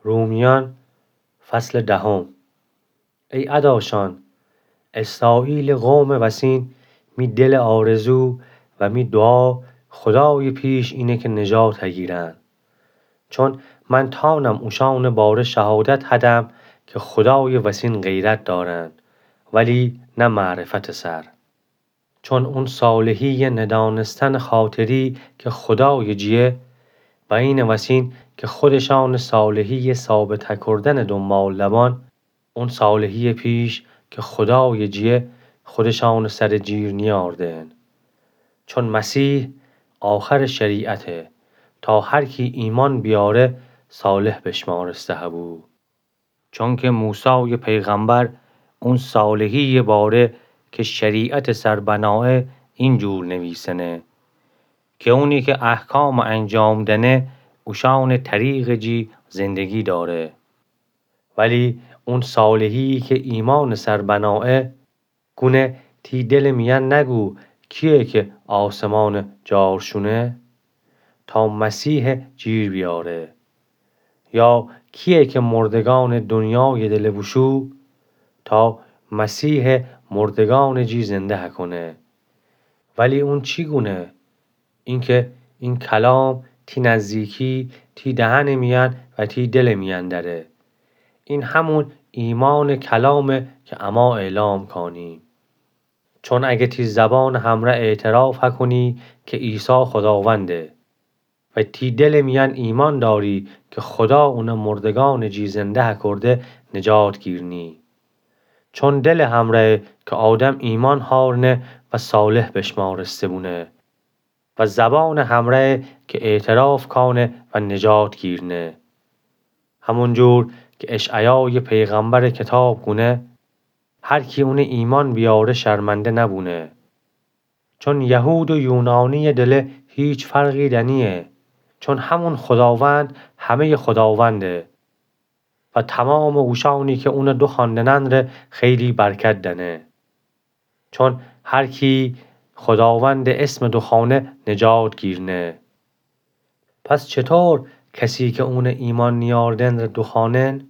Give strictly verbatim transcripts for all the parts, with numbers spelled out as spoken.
رومیأن، فصلٚ دهم. ای اداشأن، اسرائیلٚ قومٚ وسین، می دلٚ آرزو و می دوعا خودایٚ پیش اینه کی نجات هگیرن. چون من تأنم اوشأنٚ باره شهادت هدم کی خودایٚ وسین غیرت دأرن، ولی نه معرفتٚ سر. چون اون صالحیی ندأنستنٚ خاطری کی خودایٚ جیه، و اینٚ وسین کی خودشأنٚ صالحیی ثابت هکردنٚ دونبال دبان، اون صالحیی پیش کی خودایٚ جیه خودشأنٚ سرٚ جیر نیأردن. چون مسیح آخرٚ شریعته، تا هر کی ایمأن بیاره صالح بشمارسته هبو. چونکی موسایٚ پیغمبر اون صالحییٚ باره کی شریعتٚ سر بنایه اینجور نویسنه کی اونی کی احکام انجام دأنه اوشأنٚ طریقٚ جی زندگی دأره. ولی اون صالحیی کی ایمأنٚ سر بنایه گونه تی دلٚ میأن نگو کییه کی آسمانٚ جار شونه تا مسیح جیر بیاره، یا کییه کی مردگأنٚ دونیایٚ دله بوشو تا مسیح مردگأنٚ جی زنده هکونه. ولی اون چی گونه؟ اینکی این کلام تی نزدیکی، تی دهنٚ میأن و تی دلٚ میأن دأره. این همون ایمأنٚ کلامه کی اما اعلام کانیم. چون اگه تی زبانٚ همرأ اعتراف هکونی کی عیسی خوداونده و تی دلٚ میأن ایمأن دأری کی خودا اون مردگأنٚ جی زنده هکرده، نجات گیرنی. چون دلٚ همرأیه کی آدم ایمأن هأرنه و صالح بشمارسته بونه و زبانٚ همرأیه کی اعتراف کأنه و نجات گیرنه. همونجور کی اشعیایٚ پیغمبرٚ کتاب گونه، هر کی اونه ایمأن بیاره شرمنده نبونه. چون یهود و یونانییٚ دله هیچ فرقی دنییه. چون همون خوداوند همه‌یٚ خوداونده و تمامٚ اوشأنی کی اونه دوخوأندنن ره خیلی برکت دأنه. چون هر کی خوداوندٚ اسم دوخوأنه نجات گیرنه. پس چطور کسی کی اونه ایمأن نیاردن ره دوخوأنن؟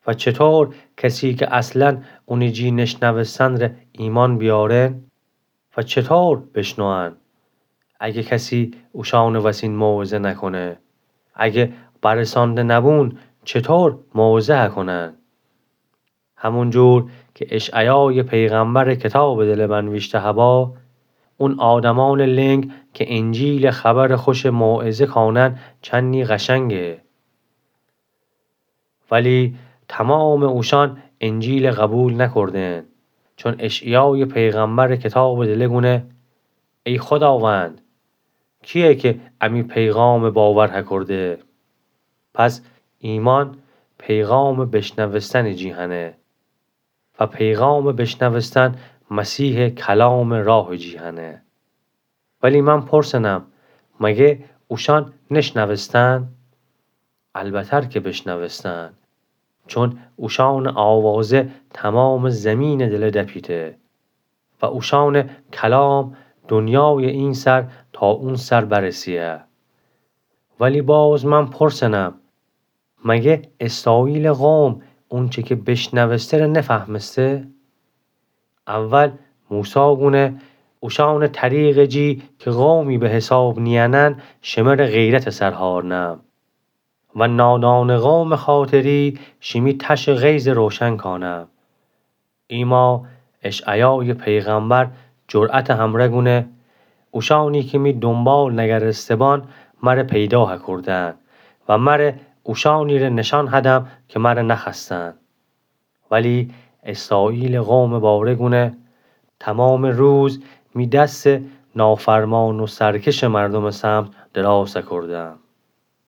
و چطور کسی کی اصلا اونی جی نشنوستن ره ایمأن بیارن؟ و چطور بشنوئن اگه کسی اوشأنٚ وسین موعظه نکونه؟ اگه برسانده نبون چطور موعظه هکونن؟ همونجور کی اشعیایٚ پیغمبرٚ کتابٚ دله بنویشته هبا، اون آدمأنٚ لنگ کی انجیلٚ خبرٚ خوشٚ موعظه کانن چنی قشنگه. ولی تمامٚ اوشأن انجیل قبول نکردن. چون اشعیایٚ پیغمبرٚ کتابٚ دله گونه، ای خوداوند، کییه کی امی پیغامٚ باور هکرده؟ پس ایمأن پیغامٚ بشنوستنٚ جی هنه و پیغامٚ بشنوستن مسیحٚ کلامٚ راهٚ جی هنه. ولی من پرسنم، مگه اوشأن نشنوستن؟ البتر کی بشنوستن، چون اوشأنٚ آوازه تمامٚ زیمینٚ دله دپیته و اوشأنٚ کلام دونیایٚ این سر تا اون سر برسه‌یه. ولی باز من پرسنم، مگه اسرائیلٚ قوم اونچه کی بشنوسته ره نفهمسته؟ اول موسی گونه، اوشأنٚ طریقٚ جی کی قومی به حساب نیأنن، شمره غیرتٚ سر هارنم و نادانٚ قومٚ خاطری شیمی تشٚ غیظ روشن کانم. ایما اشعیایٚ پیغمبر جرأتٚ همرأ گونه، اوشأنی کی می دونبال نگرسته‌بان مره پیدا هکردن و مره اوشأنی ره نشأن هدم کی مره نخوأستن. ولی اسرائیلٚ قومٚ باره گونه، تمامٚ روز می دس نافرمان و سرکشٚ مردمٚ سمت دراز هکردم.